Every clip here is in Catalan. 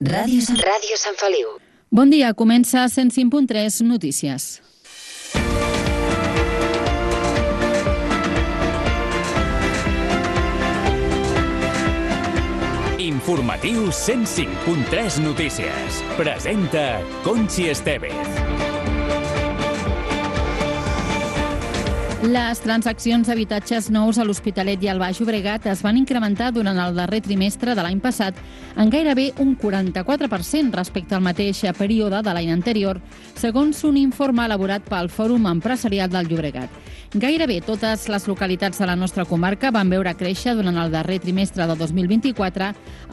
Ràdio Sant Feliu. Bon dia, comença 105.3 Notícies. Informatiu 105.3 Notícies. Presenta Conchi Estevez. Les transaccions d'habitatges nous a l'Hospitalet i al Baix Llobregat es van incrementar durant el darrer trimestre de l'any passat en gairebé un 44% respecte al mateix període de l'any anterior, segons un informe elaborat pel Fòrum Empresarial del Llobregat. Gairebé totes les localitats de la nostra comarca van veure créixer durant el darrer trimestre de 2024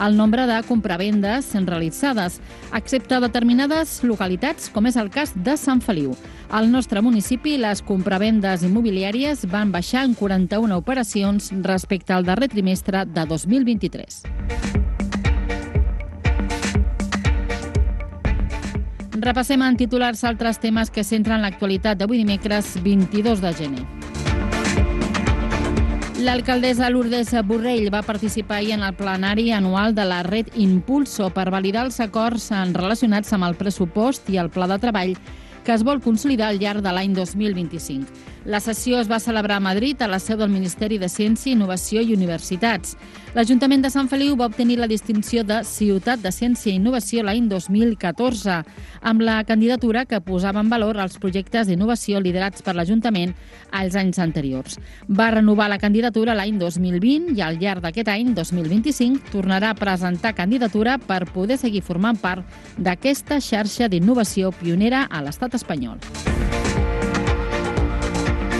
el nombre de compravendes realitzades, excepte determinades localitats, com és el cas de Sant Feliu. Al nostre municipi, les compravendes immobiliàries van baixar en 41 operacions respecte al darrer trimestre de 2023. Repassem en titulars altres temes que centren l'actualitat d'avui dimecres 22 de gener. L'alcaldessa Lourdes Borrell va participar ahir en el plenari anual de la Red Impulso per validar els acords relacionats amb el pressupost i el pla de treball que es vol consolidar al llarg de l'any 2025. La sessió es va celebrar a Madrid, a la seu del Ministeri de Ciència, Innovació i Universitats. L'Ajuntament de Sant Feliu va obtenir la distinció de Ciutat de Ciència i Innovació l'any 2014, amb la candidatura que posava en valor els projectes d'innovació liderats per l'Ajuntament als anys anteriors. Va renovar la candidatura l'any 2020 i al llarg d'aquest any, 2025, tornarà a presentar candidatura per poder seguir formant part d'aquesta xarxa d'innovació pionera a l'estat espanyol.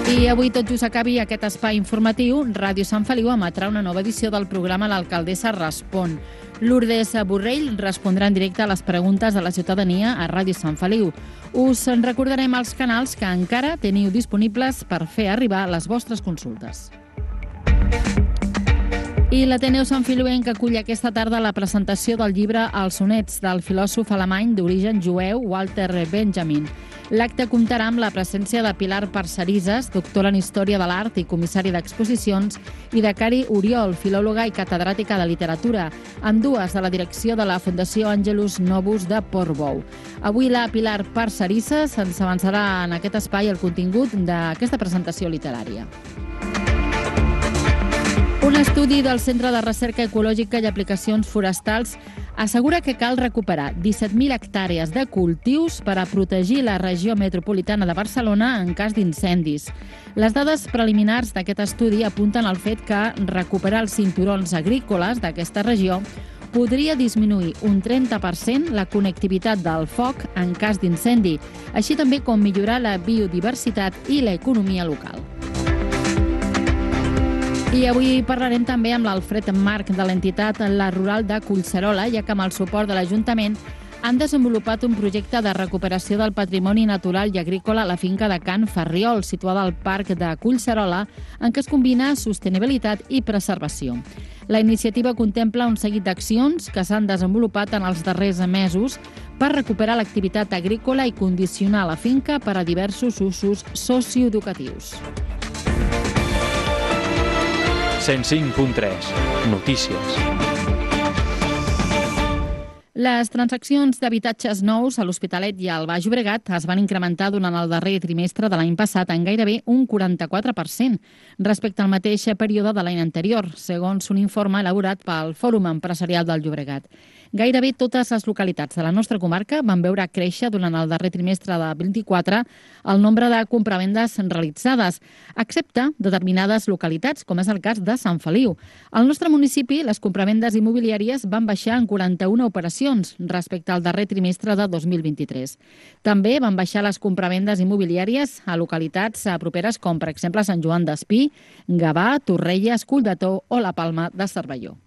I avui, tot just acabi aquest espai informatiu, Ràdio Sant Feliu emetrà una nova edició del programa L'Alcaldessa Respon. Lourdes Borrell respondrà en directe a les preguntes de la ciutadania a Ràdio Sant Feliu. Us en recordarem els canals que encara teniu disponibles per fer arribar les vostres consultes. I l'Ateneu Sant Feliuenc acull aquesta tarda la presentació del llibre Els sonets del filòsof alemany d'origen jueu Walter Benjamin. L'acte comptarà amb la presència de Pilar Parcerisas, doctora en Història de l'Art i comissària d'exposicions, i de Cari Oriol, filòloga i catedràtica de literatura, ambdues de la direcció de la Fundació Angelus Novus de Portbou. Avui la Pilar Parcerisas ens avançarà en aquest espai el contingut d'aquesta presentació literària. Un estudi del Centre de Recerca Ecològica i Aplicacions Forestals assegura que cal recuperar 17.000 hectàrees de cultius per a protegir la regió metropolitana de Barcelona en cas d'incendis. Les dades preliminars d'aquest estudi apunten al fet que recuperar els cinturons agrícoles d'aquesta regió podria disminuir un 30% la connectivitat del foc en cas d'incendi, així també com millorar la biodiversitat i l'economia local. I avui parlarem també amb l'Alfred Marc de l'entitat La Rural de Collserola, ja que amb el suport de l'Ajuntament han desenvolupat un projecte de recuperació del patrimoni natural i agrícola a la finca de Can Ferriol, situada al Parc de Collserola, en què es combina sostenibilitat i preservació. La iniciativa contempla un seguit d'accions que s'han desenvolupat en els darrers mesos per recuperar l'activitat agrícola i condicionar la finca per a diversos usos socioeducatius. 105.3 Notícies. Les transaccions d'habitatges nous a l'Hospitalet i al Baix Llobregat es van incrementar durant el darrer trimestre de l'any passat en gairebé un 44% respecte al mateix període de l'any anterior, segons un informe elaborat pel Fòrum Empresarial del Llobregat. Gairebé totes les localitats de la nostra comarca van veure créixer durant el darrer trimestre de 2024 el nombre de compravendes realitzades, excepte determinades localitats, com és el cas de Sant Feliu. Al nostre municipi, les compravendes immobiliàries van baixar en 41 operacions respecte al darrer trimestre de 2023. També van baixar les compravendes immobiliàries a localitats properes com, per exemple, Sant Joan d'Espí, Gavà, Torrelles, Collbató o la Palma de Cervelló.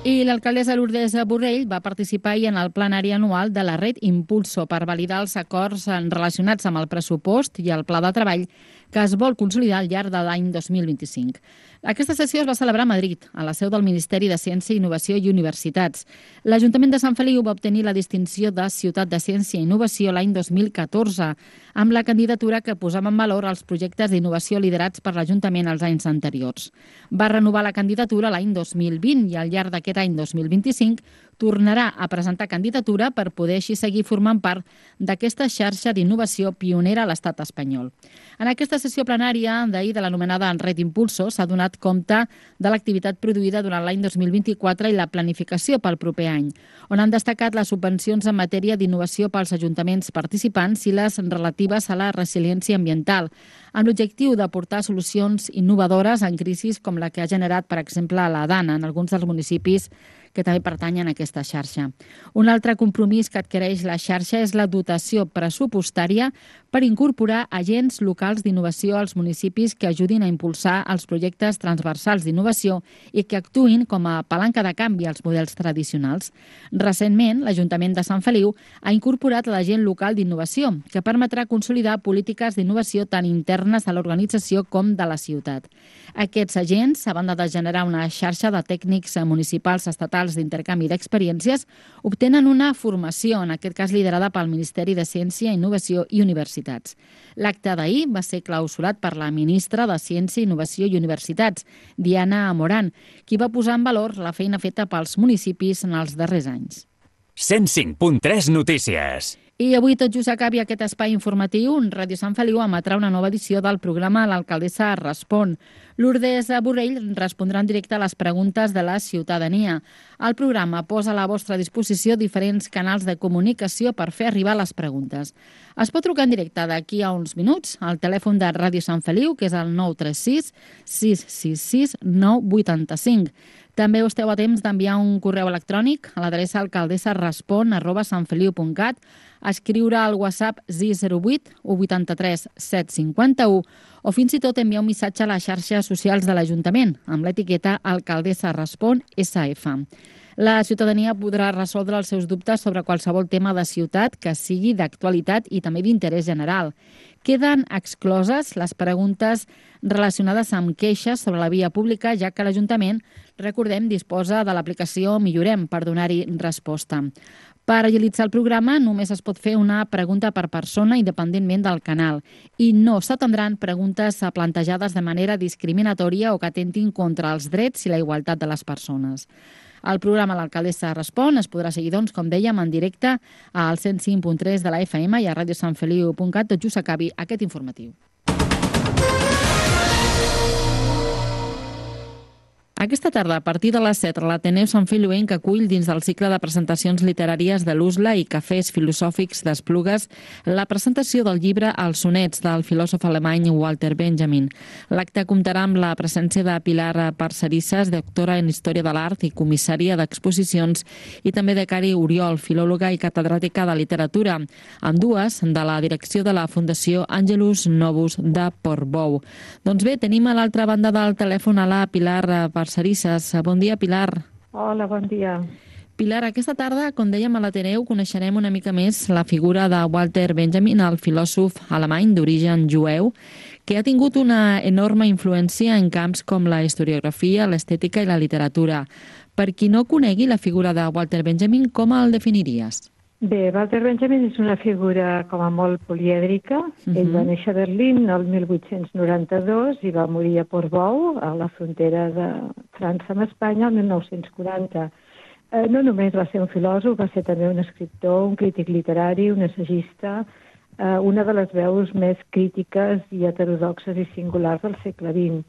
I l'alcaldessa Lourdes Borrell va participar ahir en el plenari anual de la Red Impulso per validar els acords relacionats amb el pressupost i el pla de treball que es vol consolidar al llarg de l'any 2025. Aquesta sessió es va celebrar a Madrid, a la seu del Ministeri de Ciència, Innovació i Universitats. L'Ajuntament de Sant Feliu va obtenir la distinció de Ciutat de Ciència i Innovació l'any 2014, amb la candidatura que posava en valor els projectes d'innovació liderats per l'Ajuntament els anys anteriors. Va renovar la candidatura l'any 2020 i al llarg d'aquest any 2025 tornarà a presentar candidatura per poder així seguir formant part d'aquesta xarxa d'innovació pionera a l'estat espanyol. En aquesta sessió plenària d'ahir de l'anomenada Red Impulso s'ha donat compte de l'activitat produïda durant l'any 2024 i la planificació pel proper any, on han destacat les subvencions en matèria d'innovació pels ajuntaments participants i les relatives a la resiliència ambiental, amb l'objectiu d'aportar solucions innovadores en crisis com la que ha generat, per exemple, la Dana en alguns dels municipis que també pertanyen a aquesta xarxa. Un altre compromís que adquireix la xarxa és la dotació pressupostària per incorporar agents locals d'innovació als municipis que ajudin a impulsar els projectes transversals d'innovació i que actuïn com a palanca de canvi als models tradicionals. Recentment, l'Ajuntament de Sant Feliu ha incorporat l'agent local d'innovació, que permetrà consolidar polítiques d'innovació tant internes a l'organització com de la ciutat. Aquests agents, a banda de generar una xarxa de tècnics municipals estatals d'intercanvi d'experiències, obtenen una formació, en aquest cas liderada pel Ministeri de Ciència, Innovació i Universitats. L'acte d'ahir va ser clausurat per la ministra de Ciència, Innovació i Universitats, Diana Morant, qui va posar en valor la feina feta pels municipis en els darrers anys. 105.3 Notícies. I avui, tot just acabi aquest espai informatiu, Ràdio Sant Feliu emetrà una nova edició del programa L'alcaldessa respon. Lourdes Borrell respondrà en directe a les preguntes de la ciutadania. El programa posa a la vostra disposició diferents canals de comunicació per fer arribar les preguntes. Es pot trucar en directe d'aquí a uns minuts al telèfon de Ràdio Sant Feliu, que és el 936 666 985. També esteu a temps d'enviar un correu electrònic a l'adreça alcaldessarespon@santfeliu.cat, escriure al WhatsApp 608 183 751 o fins i tot enviar un missatge a les xarxes socials de l'Ajuntament amb l'etiqueta Alcaldessa Respon SF. La ciutadania podrà resoldre els seus dubtes sobre qualsevol tema de ciutat que sigui d'actualitat i també d'interès general. Queden excloses les preguntes relacionades amb queixes sobre la via pública, ja que l'Ajuntament, recordem, disposa de l'aplicació Millorem per donar-hi resposta. Per agilitzar el programa només es pot fer una pregunta per persona independentment del canal i no s'atendran preguntes plantejades de manera discriminatòria o que atentin contra els drets i la igualtat de les persones. El programa L'alcaldessa respon es podrà seguir, doncs, com dèiem, en directe al 105.3 de la FM i a radiosantfeliu.cat tot just acabi aquest informatiu. Aquesta tarda, a partir de les 7, l'Ateneu Sant Feliuenc acull dins del cicle de presentacions literàries de l'USLA i cafès filosòfics d'Esplugues la presentació del llibre Els sonets del filòsof alemany Walter Benjamin. L'acte comptarà amb la presència de Pilar Parcerisses, doctora en Història de l'Art i comissària d'exposicions, i també de Cari Oriol, filòloga i catedràtica de literatura, ambdues de la direcció de la Fundació Angelus Novus de Portbou. Doncs bé, tenim a l'altra banda del telèfon a la Pilar Parcerisses. Bon dia, Pilar. Hola, bon dia. Pilar, aquesta tarda, com dèiem a l'Ateneu, coneixerem una mica més la figura de Walter Benjamin, el filòsof alemany d'origen jueu, que ha tingut una enorme influència en camps com la historiografia, l'estètica i la literatura. Per qui no conegui la figura de Walter Benjamin, com el definiries? Bé, Walter Benjamin és una figura com a molt polièdrica. Ell va néixer a Berlín el 1892 i va morir a Portbou, a la frontera de França amb Espanya, el 1940. No només va ser un filòsof, va ser també un escriptor, un crític literari, un assagista, una de les veus més crítiques i heterodoxes i singulars del segle XX.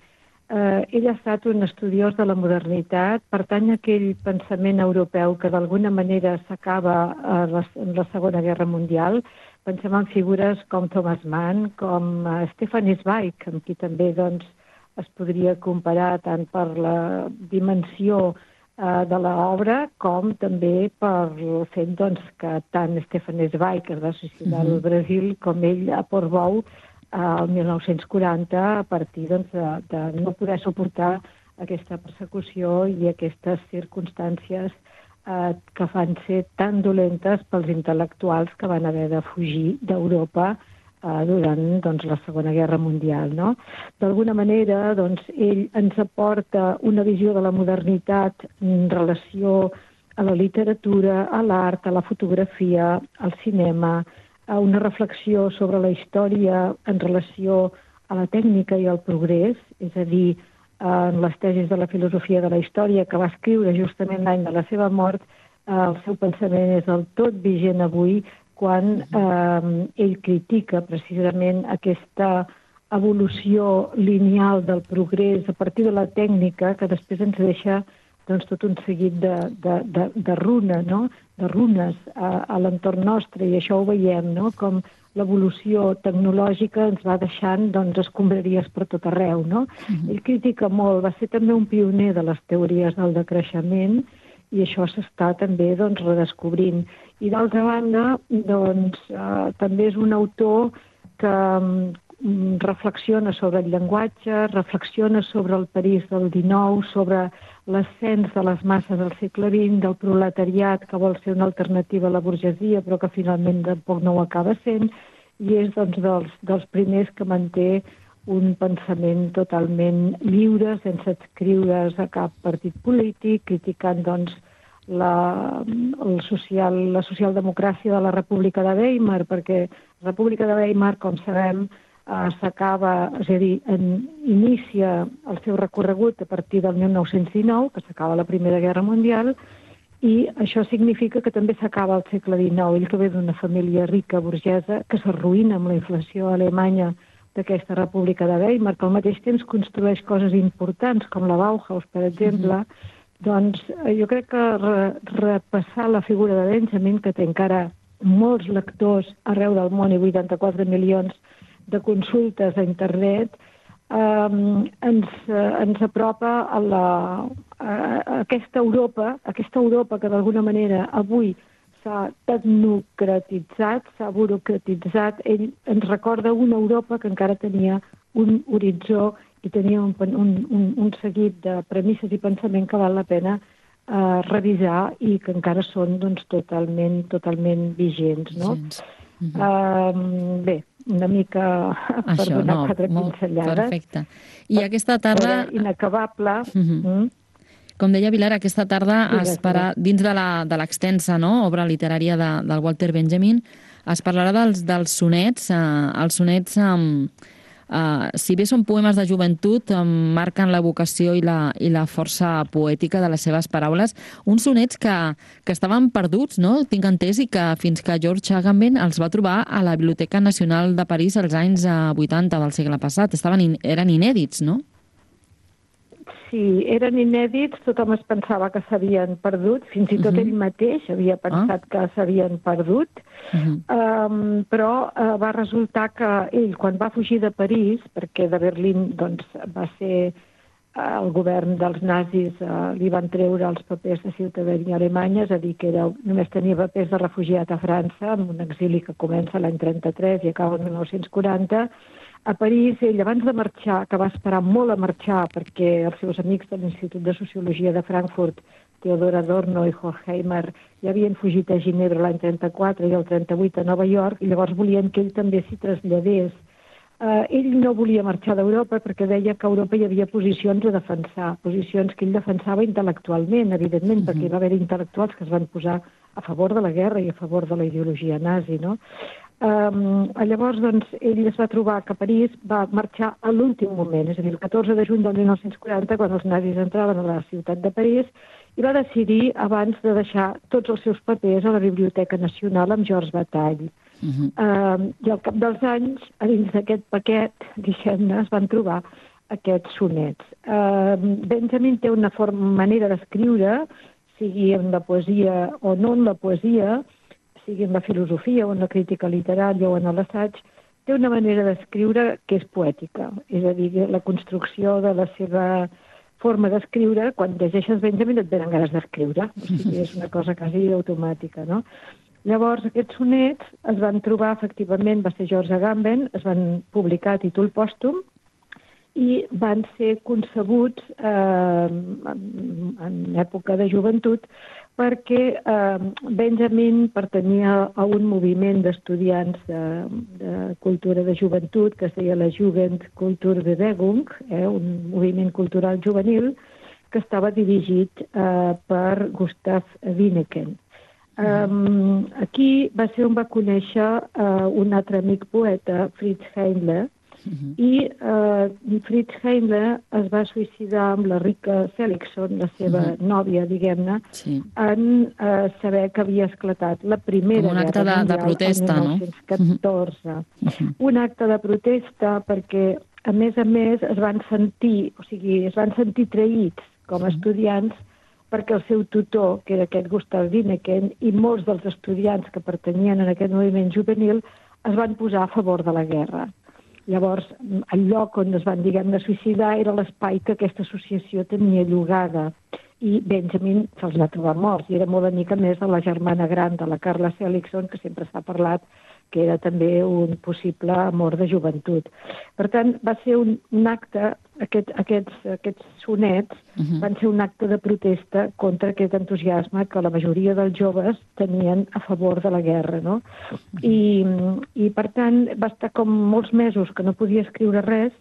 Ell ha estat un estudiós de la modernitat, pertany a aquell pensament europeu que d'alguna manera s'acaba en la Segona Guerra Mundial. Pensem en figures com Thomas Mann, com Stefan Zweig, amb qui també es podria comparar tant per la dimensió de l'obra com també per el fet que tant Stefan Zweig es va suïcidar al Brasil com ell a Portbou el 1940 a partir de no poder suportar aquesta persecució i aquestes circumstàncies que fan ser tan dolentes pels intel·lectuals que van haver de fugir d'Europa durant doncs, la Segona Guerra Mundial. No? D'alguna manera, doncs, ell ens aporta una visió de la modernitat en relació a la literatura, a l'art, a la fotografia, al cinema, a una reflexió sobre la història en relació a la tècnica i al progrés, és a dir, en les tesis de la filosofia de la història que va escriure justament l'any de la seva mort, el seu pensament és del tot vigent avui quan ell critica precisament aquesta evolució lineal del progrés a partir de la tècnica que després ens deixa doncs, tot un seguit de runes, no? De runes a l'entorn nostre, i això ho veiem, no? Com l'evolució tecnològica ens va deixant doncs, escombraries per tot arreu. No? Ell critica molt, va ser també un pioner de les teories del decreixement, i això s'està també doncs, redescobrint. I d'altra banda, doncs, també és un autor que reflexiona sobre el llenguatge, reflexiona sobre el París del XIX, sobre l'ascens de les masses al segle XX, del proletariat que vol ser una alternativa a la burgesia però que finalment tampoc no ho acaba sent, i és doncs, dels primers que manté un pensament totalment lliure, sense adscriure's a cap partit polític, criticant doncs, la socialdemocràcia de la República de Weimar, perquè la República de Weimar, com sabem, s'acaba, és a dir, inicia el seu recorregut a partir del 1919, que s'acaba la Primera Guerra Mundial, i això significa que també s'acaba el segle XIX. Ell que ve d'una família rica, burgesa, que s'arruïna amb la inflació alemanya d'aquesta República de Weimar, que al mateix temps construeix coses importants, com la Bauhaus, per exemple. Doncs jo crec que repassar la figura de Benjamin, que té encara molts lectors arreu del món i 84 milions de consultes a internet, ens apropa a aquesta Europa que d'alguna manera avui s'ha tecnocratitzat, s'ha burocratitzat. Ell ens recorda una Europa que encara tenia un horitzó i tenia un seguit de premisses i pensament que val la pena revisar i que encara són doncs, totalment vigents. No? Bé, una mica per donar quatre pinzellades. Perfecte. I aquesta tarda... Inacabable. Com deia Pilar, aquesta tarda es farà, dins de l'extensa obra literària del Walter Benjamin, es parlarà dels sonets. Els sonets, si bé són poemes de joventut, marquen la vocació i la força poètica de les seves paraules. Uns sonets que estaven perduts, no? Tinc entès, i que fins que George Agamben els va trobar a la Biblioteca Nacional de París als anys 80 del segle passat. Eren inèdits, no? Sí, eren inèdits, tothom es pensava que s'havien perdut, fins i tot ell mateix havia pensat que s'havien perdut, però va resultar que ell, quan va fugir de París, perquè de Berlín doncs, va ser el govern dels nazis, li van treure els papers de ciutadania alemanya, és a dir, que només tenia papers de refugiat a França, amb un exili que comença l'any 33 i acaba el 1940, a París, ell, abans de marxar, que va esperar molt a marxar perquè els seus amics de l'Institut de Sociologia de Frankfurt, Theodor Adorno i Horkheimer, ja havien fugit a Ginebra l'any 34 i el 38 a Nova York, i llavors volien que ell també s'hi traslladés. Ell no volia marxar d'Europa perquè deia que a Europa hi havia posicions a defensar, posicions que ell defensava intel·lectualment, evidentment, perquè hi va haver intel·lectuals que es van posar a favor de la guerra i a favor de la ideologia nazi, no? Llavors, doncs, ell es va trobar que París va marxar a l'últim moment, és a dir, el 14 de juny del 1940, quan els nazis entraven a la ciutat de París, i va decidir, abans de deixar tots els seus papers a la Biblioteca Nacional amb Georges Bataille. I al cap dels anys, a dins d'aquest paquet, diguem-ne, es van trobar aquests sonets. Benjamin té una manera d'escriure, sigui en la poesia o no en la poesia, sigui en la filosofia o en la crítica literària o en l'assaig, té una manera d'escriure que és poètica. És a dir, la construcció de la seva forma d'escriure, quan llegeixes Benjamin et venen ganes d'escriure. O sigui, és una cosa quasi automàtica, no? Llavors, aquests sonets es van trobar, efectivament, va ser George Agamben, es van publicar a títol pòstum i van ser concebuts en època de joventut perquè Benjamin pertanyia a un moviment d'estudiants de cultura de joventut que es deia la Jugendkulturbewegung, un moviment cultural juvenil que estava dirigit per Gustav Winneken. Aquí va ser on va conèixer un altre amic poeta, Fritz Heindler, i Fritz Heindler es va suïcidar amb la Rika Seligson, la seva nòvia, diguem-ne, en saber que havia esclatat la Primera Guerra Mundial de protesta, el 1914. Un acte de protesta perquè, a més, es van sentir traïts com a estudiants perquè el seu tutor, que era aquest Gustav Winneken, i molts dels estudiants que pertanyien a aquest moviment juvenil es van posar a favor de la guerra. Llavors, el lloc on es van, diguem-ne, suïcidar era l'espai que aquesta associació tenia llogada i Benjamin se'ls va trobar morts i era molt amic, a més, de la germana gran de la Carla Seligson, que sempre s'ha parlat que era també un possible amor de joventut. Per tant, va ser un acte, aquests sonets van ser un acte de protesta contra aquest entusiasme que la majoria dels joves tenien a favor de la guerra, no? I per tant, va estar com molts mesos que no podia escriure res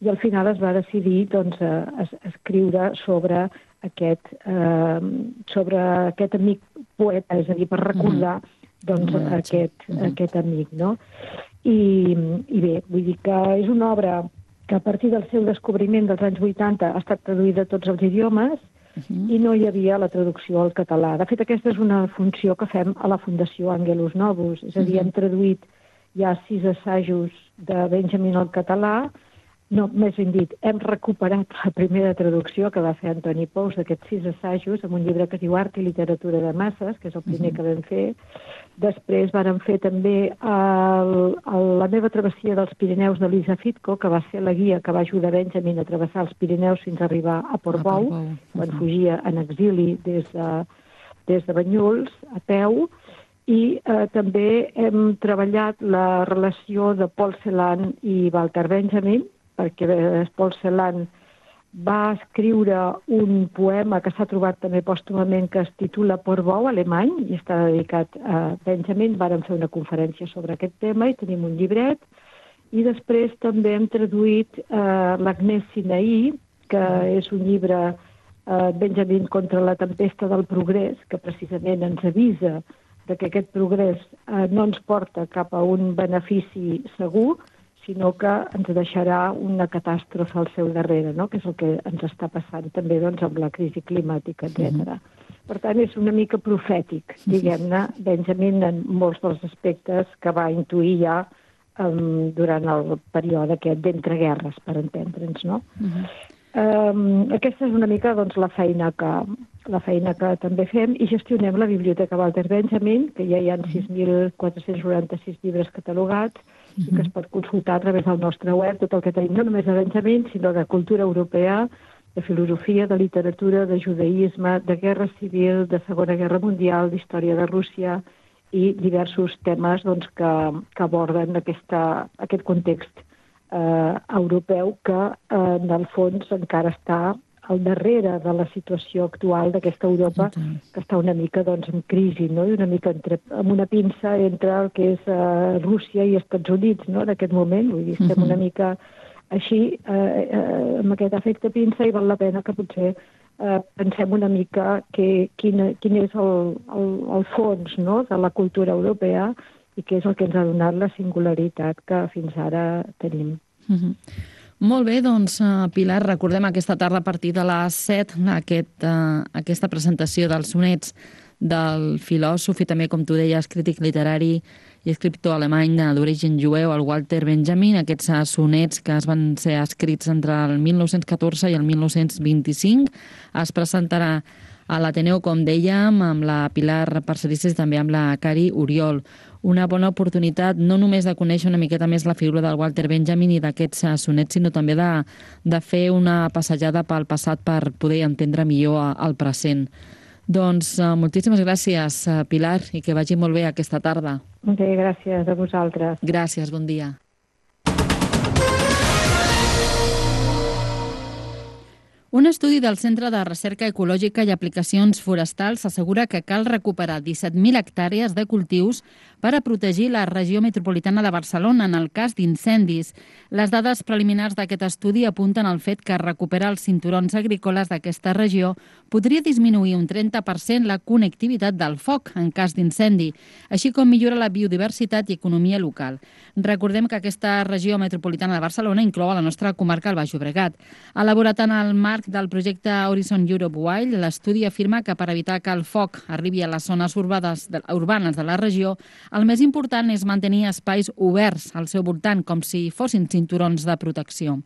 i al final es va decidir doncs, a escriure sobre aquest amic poeta, és a dir, per recordar doncs aquest amic, no? I bé, vull dir que és una obra que a partir del seu descobriment dels anys 80 ha estat traduïda a tots els idiomes i no hi havia la traducció al català. De fet, aquesta és una funció que fem a la Fundació Angelus Novus, és a dir, hem traduït ja 6 assajos de Benjamin al català. No, més ben dit, hem recuperat la primera traducció que va fer Antoni Pous d'aquests 6 assajos amb un llibre que es diu Art i literatura de masses, que és el primer que vam fer. Després vàrem fer també la meva travessia dels Pirineus d'Elisa Fitko, que va ser la guia que va ajudar Benjamin a travessar els Pirineus fins a arribar a Portbou, quan fugia en exili des de Banyuls, a peu. I també hem treballat la relació de Paul Celan i Walter Benjamin, perquè Paul Celan va escriure un poema que s'ha trobat també pòstumament que es titula Portbou, alemany, i està dedicat a Benjamin. Vàrem fer una conferència sobre aquest tema i tenim un llibret. I després també hem traduït l'Agnès Sinaí, que és un llibre Benjamin contra la tempesta del progrés, que precisament ens avisa que aquest progrés no ens porta cap a un benefici segur, sinó que ens deixarà una catàstrofe al seu darrere, no? Que és el que ens està passant també doncs, amb la crisi climàtica, etc. Per tant, és una mica profètic, diguem-ne, Benjamin en molts dels aspectes que va intuir ja durant el període aquest d'entreguerres, per entendre'ns, no? Aquesta és una mica doncs, la feina que també fem i gestionem la Biblioteca Walter Benjamin, que ja hi ha 6.496 llibres catalogats i que es pot consultar a través del nostre web tot el que tenim, no només de Benjamin, sinó de cultura europea, de filosofia, de literatura, de judaïsme, de guerra civil, de Segona Guerra Mundial, d'història de Rússia i diversos temes doncs, que aborden aquest context europeu que en el fons encara està al darrere de la situació actual d'aquesta Europa que està una mica doncs, en crisi, no? I una mica amb una pinça entre el que és Rússia i Estats Units, no? En aquest moment, vull dir, estem una mica així, amb aquest efecte pinça, i val la pena que potser pensem una mica quin és el fons, no? De la cultura europea i què és el que ens ha donat la singularitat que fins ara tenim. Molt bé, doncs, Pilar, recordem aquesta tarda a partir de les 7 aquesta presentació dels sonets del filòsof i també, com tu deies, crític literari i escriptor alemany d'origen jueu, el Walter Benjamin, aquests sonets que van ser escrits entre el 1914 i el 1925. Es presentarà a l'Ateneu, com dèiem, amb la Pilar Parcerisses i també amb la Cari Oriol. Una bona oportunitat no només de conèixer una miqueta més la figura del Walter Benjamin i d'aquests sonets, sinó també de fer una passejada pel passat per poder entendre millor el present. Doncs moltíssimes gràcies, Pilar, i que vagi molt bé aquesta tarda. Bé, gràcies a vosaltres. Gràcies, bon dia. Un estudi del Centre de Recerca Ecològica i Aplicacions Forestals assegura que cal recuperar 17.000 hectàrees de cultius per a protegir la regió metropolitana de Barcelona en el cas d'incendis. Les dades preliminars d'aquest estudi apunten al fet que recuperar els cinturons agrícoles d'aquesta regió podria disminuir un 30% la connectivitat del foc en cas d'incendi, així com millora la biodiversitat i economia local. Recordem que aquesta regió metropolitana de Barcelona inclou a la nostra comarca el Baix Llobregat. Elaborat en el marc del projecte Horizon Europe Wild, l'estudi afirma que per evitar que el foc arribi a les zones urbanes de la regió, el més important és mantenir espais oberts al seu voltant, com si fossin cinturons de protecció.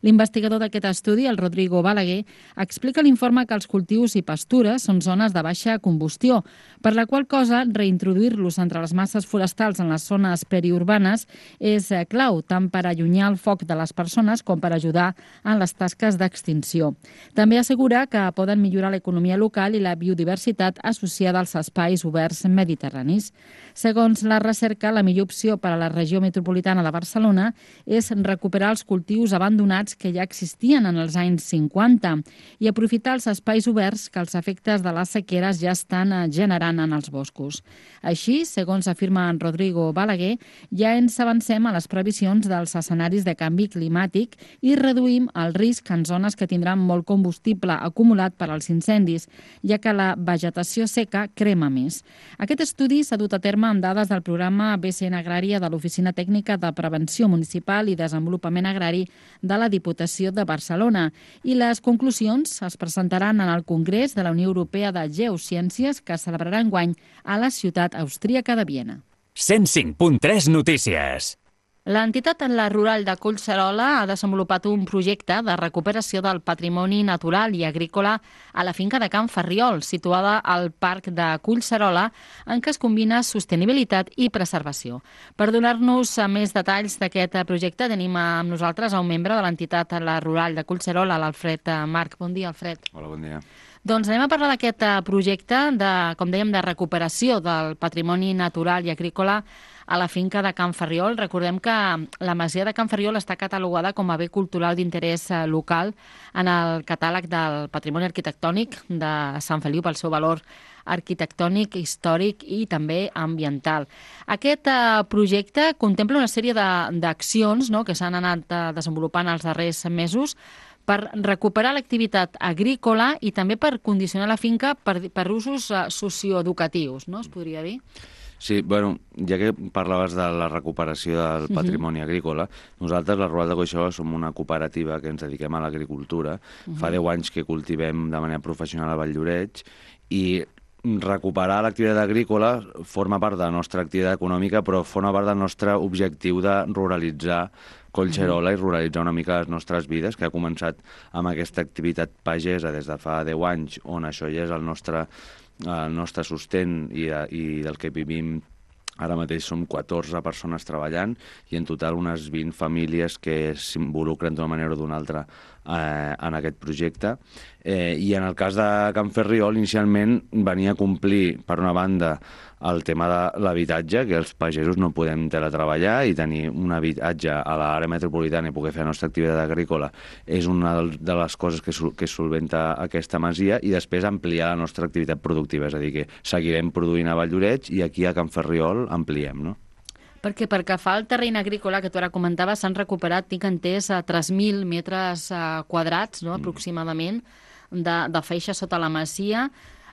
L'investigador d'aquest estudi, el Rodrigo Balaguer, explica a l'informe que els cultius i pastures són zones de baixa combustió, per la qual cosa reintroduir-los entre les masses forestals en les zones periurbanes és clau, tant per allunyar el foc de les persones com per ajudar en les tasques d'extinció. També assegura que poden millorar l'economia local i la biodiversitat associada als espais oberts mediterranis. Segons la recerca, la millor opció per a la regió metropolitana de Barcelona és recuperar els cultius abandonats que ja existien en els anys 50 i aprofitar els espais oberts que els efectes de les sequeres ja estan generant en els boscos. Així, segons afirma en Rodrigo Balaguer, ja ens avancem a les previsions dels escenaris de canvi climàtic i reduïm el risc en zones que tindran molt combustible acumulat per als incendis, ja que la vegetació seca crema més. Aquest estudi s'ha dut a terme amb dades del programa BCN Agrària de l'Oficina Tècnica de Prevenció Municipal i Desenvolupament Agrari de la Diputació de Barcelona i les conclusions es presentaran en el Congrés de la Unió Europea de Geociències que es celebrarà enguany a la ciutat austríaca de Viena. 105.3 Notícies. L'entitat La Rural de Collserola ha desenvolupat un projecte de recuperació del patrimoni natural i agrícola a la finca de Can Ferriol, situada al Parc de Collserola, en què es combina sostenibilitat i preservació. Per donar-nos més detalls d'aquest projecte, tenim amb nosaltres a un membre de l'entitat La Rural de Collserola, l'Alfred Marc. Bon dia, Alfred. Hola, bon dia. Doncs anem a parlar d'aquest projecte, com dèiem, de recuperació del patrimoni natural i agrícola a la finca de Can Ferriol. Recordem que la masia de Can Ferriol està catalogada com a bé cultural d'interès local en el catàleg del patrimoni arquitectònic de Sant Feliu pel seu valor arquitectònic, històric i també ambiental. Aquest projecte contempla una sèrie d'accions que s'han anat desenvolupant els darrers mesos per recuperar l'activitat agrícola i també per condicionar la finca per usos socioeducatius, no? Es podria dir? Sí, bueno, ja que parlaves de la recuperació del patrimoni agrícola, nosaltres, la Rural de Collserola, som una cooperativa que ens dediquem a l'agricultura. Fa 10 anys que cultivem de manera professional a Valldoreix i recuperar l'activitat agrícola forma part de la nostra activitat econòmica, però forma part del nostre objectiu de ruralitzar Collserola i ruralitzar una mica les nostres vides, que ha començat amb aquesta activitat pagesa des de fa 10 anys, on això ja és el nostre sostent i del que vivim. Ara mateix som 14 persones treballant i en total unes 20 famílies que s'involucren d'una manera o d'una altra en aquest projecte. I en el cas de Can Ferriol, inicialment venia a complir, per una banda, el tema de l'habitatge, que els pagesos no podem teletreballar i tenir un habitatge a l'àrea metropolitana i poder fer la nostra activitat agrícola és una de les coses que solventa aquesta masia, i després ampliar la nostra activitat productiva, és a dir, que seguirem produint a Valldoreix i aquí a Can Ferriol ampliem, no? Perquè que fa el terreny agrícola, que tu ara comentaves, s'han recuperat, tinc entès, 3.000 metres quadrats, no, aproximadament, de feixa sota la masia.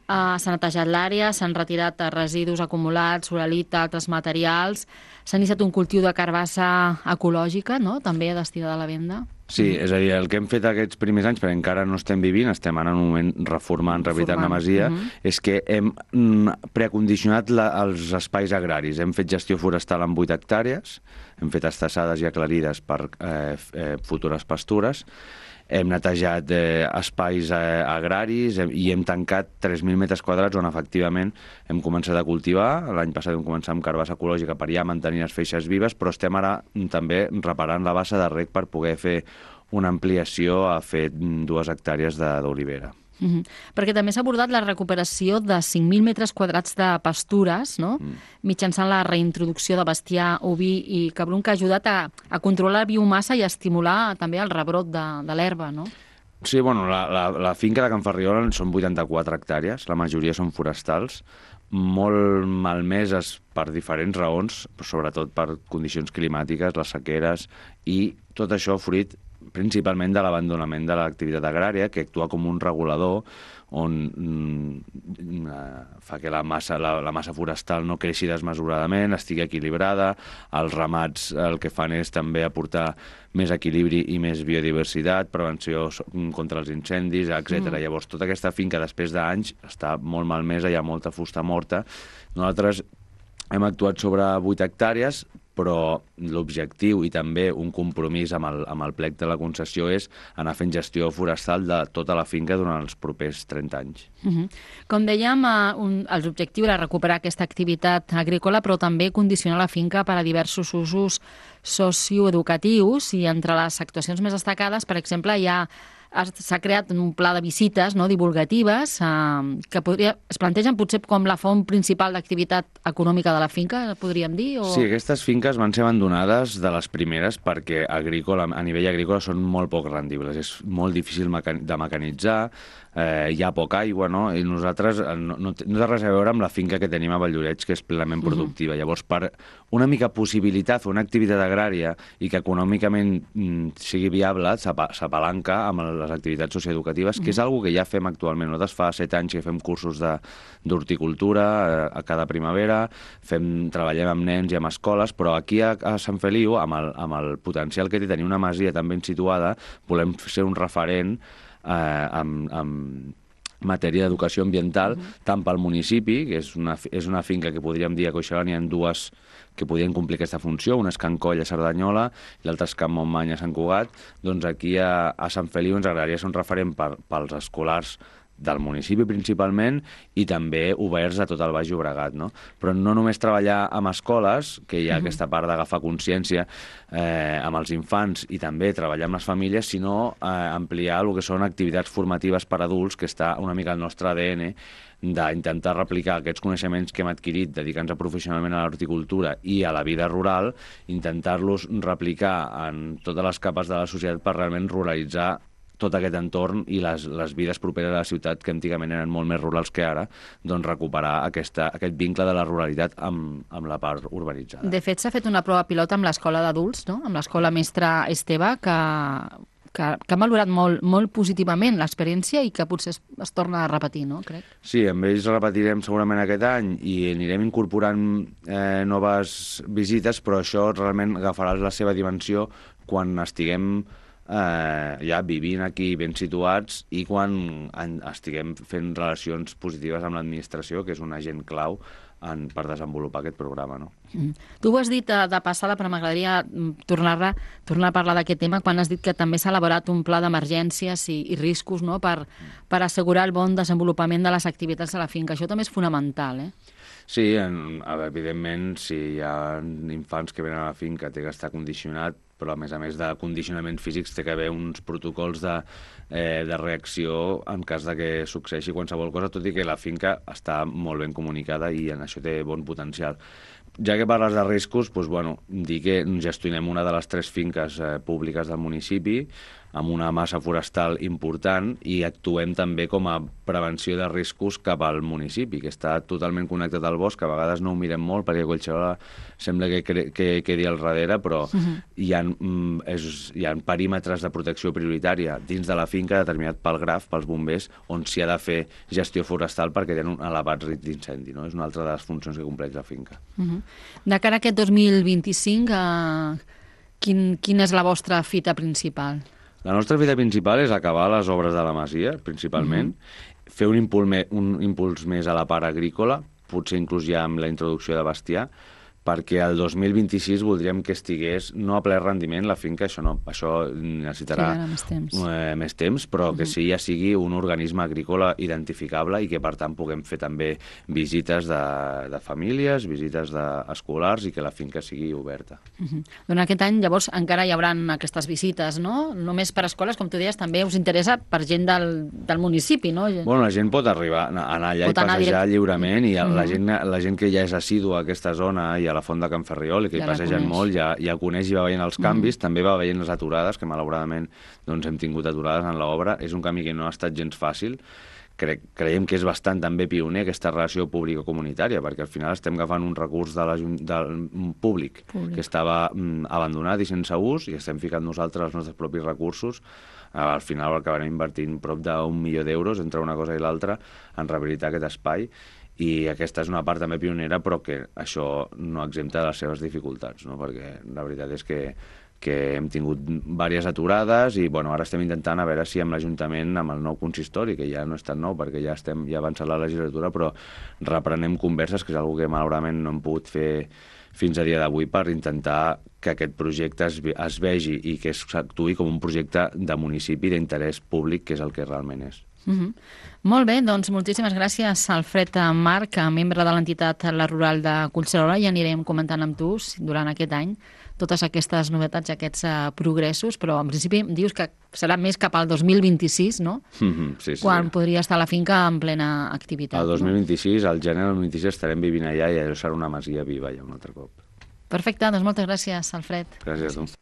S'ha netejat l'àrea, s'han retirat residus acumulats, uralita, altres materials, s'ha iniciat un cultiu de carbassa ecològica, no?, també destinada a la venda. Sí, és a dir, el que hem fet aquests primers anys, perquè encara no estem vivint, estem ara en un moment reformant, rehabilitant la masia, és que hem precondicionat els espais agraris. Hem fet gestió forestal en 8 hectàrees, hem fet estassades i aclarides per futures pastures, hem netejat espais agraris i hem tancat 3.000 metres quadrats on efectivament hem començat a cultivar. L'any passat vam començar amb carbassa ecològica per ja mantenir les feixes vives, però estem ara també reparant la bassa de reg per poder fer una ampliació a fer 2 hectàrees d'olivera. Perquè també s'ha abordat la recuperació de 5.000 metres quadrats de pastures, no? Mitjançant la reintroducció de bestiar oví i cabrum, que ha ajudat a controlar la biomassa i a estimular també el rebrot de l'herba, no? Sí, bueno, la finca de Can Ferriola són 84 hectàrees, la majoria són forestals, molt malmeses per diferents raons, però sobretot per condicions climàtiques, les sequeres, i tot això fruit principalment de l'abandonament de l'activitat agrària, que actua com un regulador on fa que la massa forestal no creixi desmesuradament, estigui equilibrada. Els ramats el que fan és també aportar més equilibri i més biodiversitat, prevenció contra els incendis, etc. Llavors, tota aquesta finca, després d'anys, està molt malmesa, hi ha molta fusta morta. Nosaltres hem actuat sobre 8 hectàrees, però l'objectiu i també un compromís amb el plec de la concessió és anar fent gestió forestal de tota la finca durant els propers 30 anys. Com dèiem, l'objectiu era recuperar aquesta activitat agrícola, però també condicionar la finca per a diversos usos socioeducatius, i entre les actuacions més destacades, per exemple, s'ha creat un pla de visites divulgatives que es plantegen potser com la font principal d'activitat econòmica de la finca, podríem dir? Sí, aquestes finques van ser abandonades de les primeres perquè a nivell agrícola són molt poc rendibles. És molt difícil de mecanitzar, hi ha poca aigua, no? I nosaltres no té res a veure amb la finca que tenim a Valldoreix, que és plenament productiva. Llavors, per una mica possibilitat, una activitat agrària i que econòmicament sigui viable, s'apalanca amb les activitats socioeducatives, que és una que ja fem actualment. Nosaltres fa 7 anys que fem cursos d'horticultura a cada primavera, treballem amb nens i amb escoles, però aquí a Sant Feliu, amb el potencial que té tenir una masia tan ben situada, volem ser un referent en matèria d'educació ambiental, tant pel municipi, que és una finca que podríem dir a Coixerà n'hi ha dues que podrien complir aquesta funció, una és Can Coll a Cerdanyola i l'altra és Can Montmany a Sant Cugat. Doncs aquí a Sant Feliu ens agradaria ser un referent pels escolars del municipi principalment i també oberts a tot el Baix Llobregat, no? Però no només treballar amb escoles, que hi ha aquesta part d'agafar consciència amb els infants i també treballar amb les famílies, sinó ampliar el que són activitats formatives per adults, que està una mica al nostre ADN, d'intentar replicar aquests coneixements que hem adquirit dedicant-nos professionalment a l'horticultura i a la vida rural, intentar-los replicar en totes les capes de la societat per realment ruralitzar tot aquest entorn i les vides properes a la ciutat, que antigament eren molt més rurals que ara, doncs recuperar aquest vincle de la ruralitat amb la part urbanitzada. De fet, s'ha fet una prova pilota amb l'escola d'adults, no? Amb l'escola Mestre Esteve, que han valorat molt positivament l'experiència i que potser es torna a repetir, no? Crec. Sí, amb ells repetirem segurament aquest any i anirem incorporant noves visites, però això realment agafarà la seva dimensió quan estiguem ja vivint aquí ben situats i quan estiguem fent relacions positives amb l'administració, que és un agent clau per desenvolupar aquest programa, no? Tu ho has dit de passada, però m'agradaria tornar a parlar d'aquest tema quan has dit que també s'ha elaborat un pla d'emergències i riscos, no?, per assegurar el bon desenvolupament de les activitats de la finca. Això també és fonamental, Sí, evidentment, si hi ha infants que venen a la finca té que estar condicionat, però a més de condicionaments físics té que haver uns protocols de reacció en cas de que succeeixi qualsevol cosa, tot i que la finca està molt ben comunicada i en això té bon potencial. Ja que parles de riscos, doncs, dir que gestionem una de les 3 finques públiques del municipi amb una massa forestal important i actuem també com a prevenció de riscos cap al municipi, que està totalment connectat al bosc. A vegades no ho mirem molt perquè Collserola sembla que quedi al darrere, però hi ha perímetres de protecció prioritària dins de la finca determinat pel GRAF, pels bombers, on s'hi ha de fer gestió forestal perquè tenen un elevat risc d'incendi, no? És una altra de les funcions que compleix la finca. De cara a aquest 2025, quina és la vostra fita principal? La nostra fita principal és acabar les obres de la masia, principalment, fer un impuls més a la part agrícola, potser inclús ja amb la introducció de bestiar, perquè el 2026 voldríem que estigués no a ple rendiment la finca, això necessitarà més temps, però que sí ja sigui un organisme agrícola identificable i que per tant puguem fer també visites de famílies, visites d'escolars i que la finca sigui oberta. Durant aquest any llavors encara hi haurà aquestes visites, no? Només per escoles, com tu deies, també us interessa per gent del municipi, no? Bueno, la gent pot arribar, anar allà i passejar lliurement i la gent que ja és assídua a aquesta zona i a la Font de Can Ferriol, i que Ja hi la passegen coneix. molt, ja coneix i va veient els canvis, també va veient les aturades, que malauradament doncs, hem tingut aturades en l'obra. És un camí que no ha estat gens fàcil. Creiem que és bastant també pioner aquesta relació pública-comunitària, perquè al final estem agafant un recurs del públic que estava abandonat i sense ús, i estem ficant nosaltres els nostres propis recursos. Al final acabarem invertint prop d'1 milió d'euros entre una cosa i l'altra en rehabilitar aquest espai, i aquesta és una part també pionera, però que això no exempta de les seves dificultats, no? Perquè la veritat és que hem tingut diverses aturades i ara estem intentant a veure si amb l'Ajuntament, amb el nou consistori, que ja no és tan nou perquè ja ha avançat la legislatura, però reprenem converses, que és una que malauradament no hem pogut fer fins a dia d'avui, per intentar que aquest projecte es vegi i que s'actuï com un projecte de municipi d'interès públic, que és el que realment és. Molt bé, doncs moltíssimes gràcies, Alfred Marc, membre de l'entitat La Rural de Collserola, i anirem comentant amb tu durant aquest any totes aquestes novetats, aquests progressos, però en principi dius que serà més cap al 2026, no? Sí. Quan podria estar la finca en plena activitat. El 2026, al gener del 2026, estarem vivint allà i allò serà una masia viva ja un altre cop. Perfecte, doncs moltes gràcies, Alfred. Gràcies a tu.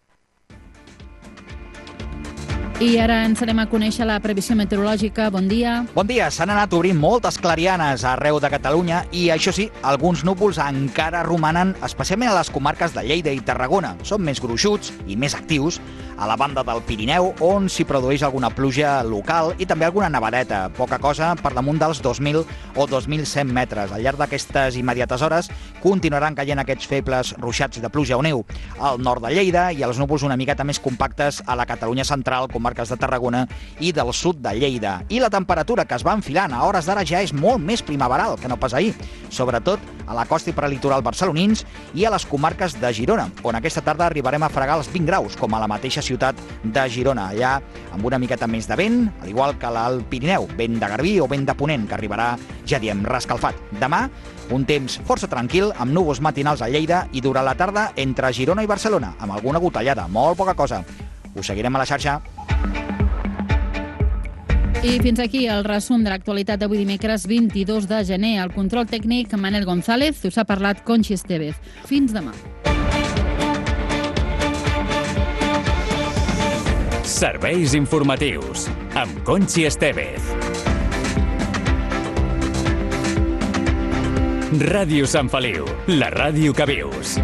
I ara ens anem a conèixer la previsió meteorològica. Bon dia. Bon dia. S'han anat obrint moltes clarianes arreu de Catalunya i, això sí, alguns núvols encara romanen, especialment a les comarques de Lleida i Tarragona. Són més gruixuts i més actius a la banda del Pirineu, on s'hi produeix alguna pluja local i també alguna nevadeta, poca cosa per damunt dels 2.000 o 2.100 metres. Al llarg d'aquestes immediates hores continuaran caient aquests febles ruixats de pluja o neu al nord de Lleida i els núvols una miqueta més compactes a la Catalunya central, comarques de Tarragona i del sud de Lleida. I la temperatura que es va enfilant a hores d'ara ja és molt més primaveral que no pas ahir, sobretot a la costa i prelitoral barcelonins i a les comarques de Girona, on aquesta tarda arribarem a fregar els 20 graus, com a la mateixa ciutat de Girona, allà amb una miqueta més de vent, al igual que l'Alt Pirineu, vent de garbí o vent de ponent, que arribarà, ja diem, rescalfat. Demà, un temps força tranquil, amb núvols matinals a Lleida i durant la tarda entre Girona i Barcelona, amb alguna gotellada, molt poca cosa. Us seguirem a la xarxa. I fins aquí el resum de l'actualitat d'avui dimecres 22 de gener. Al control tècnic, Manel González, us ha parlat Conxi Estevez. Fins demà. Serveis informatius amb Conxi Estevez. Ràdio Sant Feliu, la ràdio que vius.